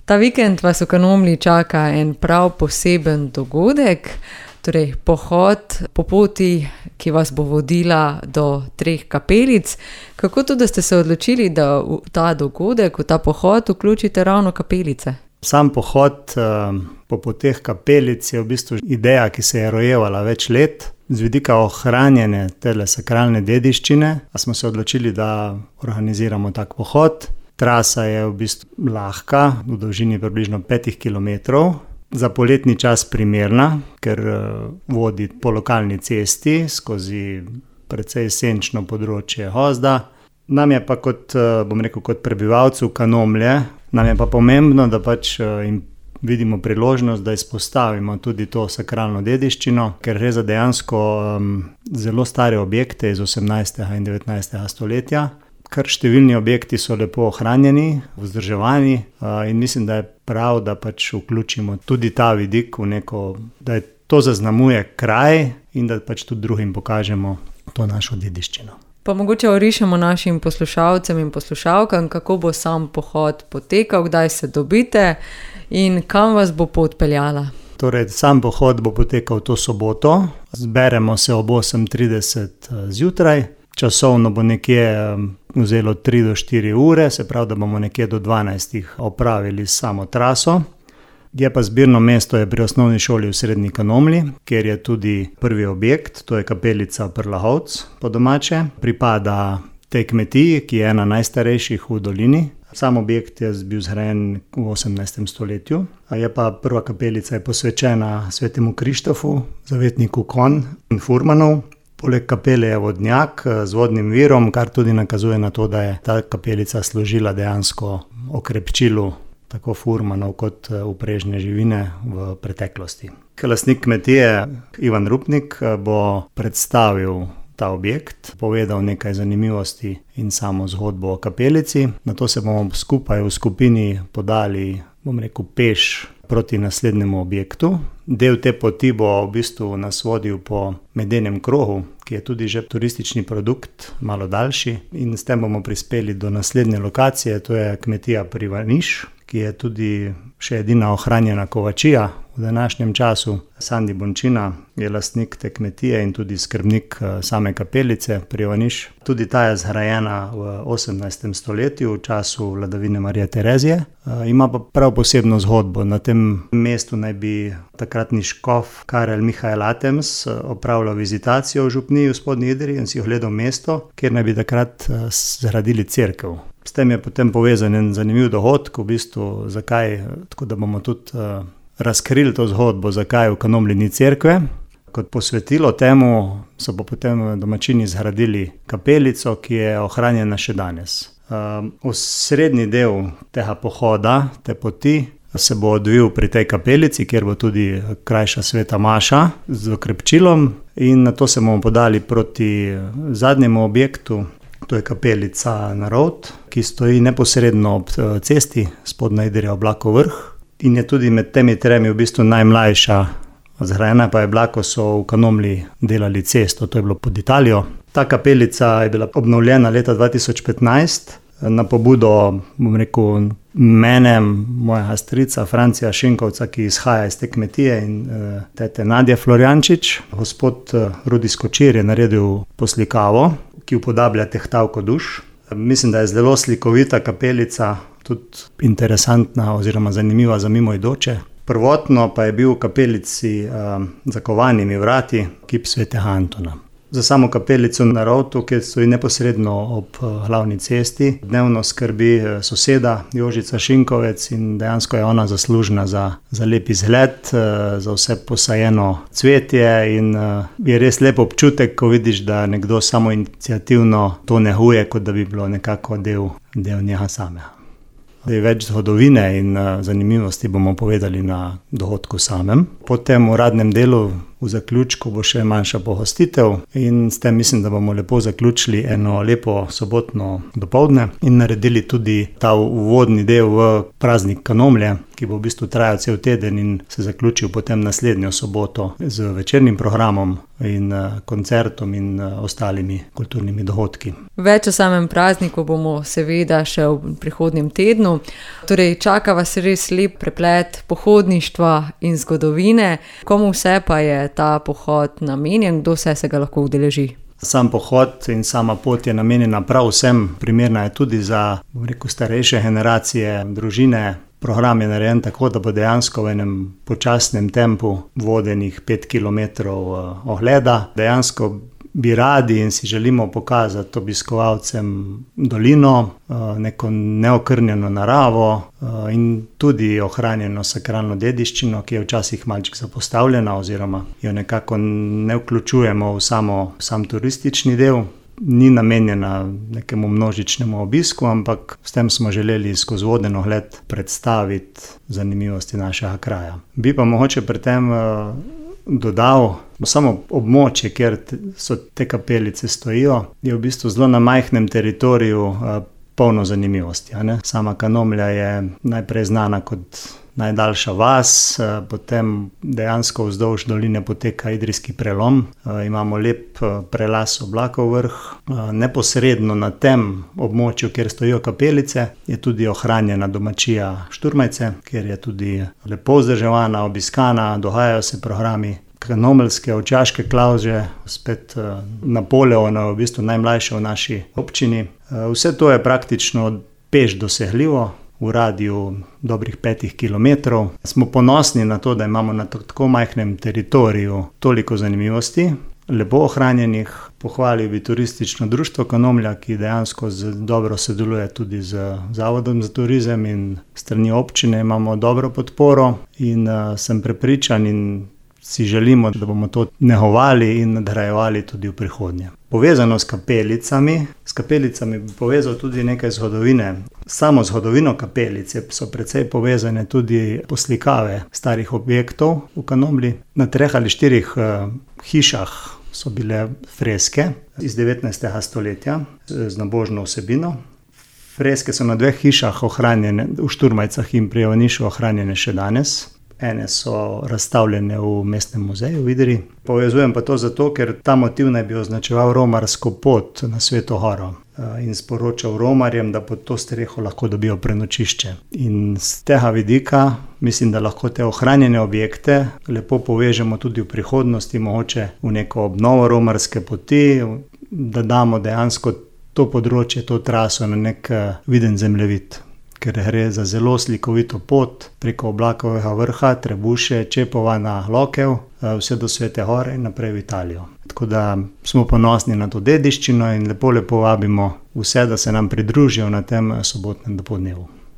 Ta vikend vas v Kanomlji čaka en prav poseben dogodek, torej pohod po poti, ki vas bo vodila do 3 kapelic. Kako to, da ste se odločili, da v ta dogodek, v ta pohod vključite ravno kapelice? Sam pohod po poteh kapelic je v bistvu ideja, ki se je rojevala več let. Z vidika ohranjene tele sakralne dediščine smo se odločili, da organiziramo tak pohod. Trasa je v bistvu lahka, v dolžini približno 5 kilometrov. Za poletni čas primerna, ker vodi po lokalni cesti skozi precej senčno področje Hozda. Nam je pa kot prebivalcev Kanomlje, nam je pa pomembno, da jim vidimo priložnost, da izpostavimo tudi to sakralno dediščino, ker gre za dejansko zelo stare objekte iz 18. in 19. stoletja. Kar številni objekti so lepo ohranjeni, vzdrževani in mislim, da je prav, da vključimo tudi ta vidik v neko, da je to zaznamuje kraj in da tudi drugim pokažemo to našo dediščino. Pa mogoče orišemo našim poslušalcem in poslušalkam, kako bo sam pohod potekal, kdaj se dobite in kam vas bo pot peljala. Torej, sam pohod bo potekal to soboto, zberemo se ob 8:30 zjutraj, časovno bo nekje vzelo 3 do 4 ure, se pravi, da bomo nekje do 12 opravili samo traso. Je pa zbirno mesto je pri osnovni šoli v Srednji Kanomlji, kjer je tudi prvi objekt, to je kapelica Prlahovc po domače. Pripada tej kmetiji, ki je ena najstarejših v dolini. Sam objekt je bil zgrajen v 18. stoletju. Je pa prva kapelica je posvečena svetemu Krištofu, zavetniku konj in furmanov. Poleg kapele je vodnjak z vodnim virom, kar tudi nakazuje na to, da je ta kapelica služila dejansko okrepčilu tako furmanov kot uprežne živine v preteklosti. Lastnik kmetije Ivan Rupnik bo predstavil ta objekt, povedal nekaj zanimivosti in samo zgodbo o kapelici. Nato se bomo skupaj v skupini podali, peš proti naslednjemu objektu. Del te poti bo v bistvu nas vodil po medenem krogu, ki je tudi že turistični produkt, malo daljši. In s tem bomo prispeli do naslednje lokacije, to je kmetija Privaniš, ki je tudi še edina ohranjena kovačija v današnjem času. Sandi Bončina je lastnik te kmetije in tudi skrbnik same kapelice Privaniš. Tudi ta je zgrajena v 18. stoletju, v času vladavine Marije Terezije. Ima pa prav posebno zgodbo. Na tem mestu naj bi takratni škof Karel Mihael Atems opravljal vizitacijo v župniji v Spodnji Idriji in si ogledal mesto, kjer naj bi takrat zgradili cerkev. S tem je potem povezan en zanimiv dogodek, v bistvu zakaj, tako da bomo tudi razkrili to zgodbo, zakaj v Kanomlji ni cerkve. Kot posvetilo temu so pa potem domačini zgradili kapelico, ki je ohranjena še danes. Osrednji del tega pohoda, te poti, se bo odvil pri tej kapelici, kjer bo tudi krajša sveta maša z okrepčilom in nato se bomo podali proti zadnjemu objektu. To je kapelica Narovt, ki stoji neposredno ob cesti Spodnja Idrija Oblakov vrh in je tudi med temi tremi v bistvu najmlajša. Zgrajena pa je bila, ko so v Kanomlji delali cesto, to je bilo pod Italijo. Ta kapelica je bila obnovljena leta 2015 na pobudo, mene, mojega strica Francija Šinkovca, ki izhaja iz te kmetije, in tete Nadje Florjančič. Gospod Rudi Skočir je naredil poslikavo, ki upodablja tehtavko duš. Mislim, da je zelo slikovita kapelica, tudi interesantna oziroma zanimiva za mimoidoče. Prvotno pa je bil v kapelici zakovanimi vrati kip svetega Antona. Za samo kapelico Narovtu, ki stoji neposredno ob glavni cesti, dnevno skrbi soseda Jožica Šinkovec in dejansko je ona zaslužna za lep izgled, za vse posajeno cvetje in je res lep občutek, ko vidiš, da nekdo samoiniciativno to neguje, kot da bi bilo nekako del njega samega. Več zgodovine in zanimivosti bomo povedali na dogodku samem. Po tem uradnem delu v zaključku bo še manjša pohostitev in s tem mislim, da bomo lepo zaključili eno lepo sobotno dopoldne in naredili tudi ta uvodni del v praznik Kanomlje, ki bo v bistvu trajal cel teden in se zaključil potem naslednjo soboto z večernim programom in koncertom in ostalimi kulturnimi dogodki. Več o samem prazniku bomo seveda še v prihodnjem tednu. Torej, čaka vas res lep preplet pohodništva in zgodovine. Komu vse pa je ta pohod namenjen, kdo vse se ga lahko udeleži? Sam pohod in sama pot je namenjena prav vsem, primerna je tudi za, starejše generacije, družine. Program je narejen tako, da bo dejansko v enem počasnem tempu vodenih 5 kilometrov ogleda. Dejansko bi radi in si želimo pokazati obiskovalcem dolino, neko neokrnjeno naravo in tudi ohranjeno sakralno dediščino, ki je včasih malček zapostavljena oziroma jo nekako ne vključujemo v sam turistični del. Ni namenjena nekemu množičnemu obisku, ampak s tem smo želeli skozi voden ogled predstaviti zanimivosti našega kraja. Bi pa mogoče pri tem dodal, samo območje, kjer so te kapelice stojijo, je v bistvu zelo na majhnem teritoriju polno zanimivosti. Sama Kanomlja je najprej znana kot najdaljša vas, potem dejansko vzdolž doline poteka Idrijski prelom. Imamo lep prelaz Oblakov vrh. Neposredno na tem območju, kjer stojijo kapelice, je tudi ohranjena domačija Šturmajce, kjer je tudi lepo vzdrževana, obiskana, dogajajo se programi. Kanomeljske ovčaške klavže, spet Napoleona, v bistvu najmlajše v naši občini. Vse to je praktično peš dosegljivo, v radiju dobrih 5 kilometrov. Smo ponosni na to, da imamo na tako majhnem teritoriju toliko zanimivosti, lepo ohranjenih. Pohvalil bi turistično društvo Kanomlja, ki dejansko dobro sodeluje tudi z Zavodom za turizem in strani občine imamo dobro podporo in sem prepričan in si želimo, da bomo to negovali in nadgrajevali tudi v prihodnje. Povezano s kapelicami bi povezal tudi nekaj zgodovine. Samo zgodovino kapelice so precej povezane tudi poslikave starih objektov v Kanomlji. Na 3 ali 4 hišah so bile freske iz 19. stoletja z nabožno vsebino. Freske so na 2 hišah ohranjene, v Šturmajcah in pri Ivanišu ohranjene še danes. Ene so razstavljene v mestnem muzeju v Idriji. Povezujem pa to zato, ker ta motiv naj bi označeval romarsko pot na Sveto Goro in sporočal romarjem, da pod to streho lahko dobijo prenočišče. In z tega vidika mislim, da lahko te ohranjene objekte lepo povežemo tudi v prihodnosti, mogoče v neko obnovo romarske poti, da damo dejansko to področje, to traso na nek viden zemljevid. Ker gre za zelo slikovito pot preko Oblakovega vrha, Trebuše, Čepova na Lokev, vse do Svete Gore in naprej v Italijo. Tako da smo ponosni na to dediščino in lepo vabimo vse, da se nam pridružijo na tem sobotnem dopoldnevu.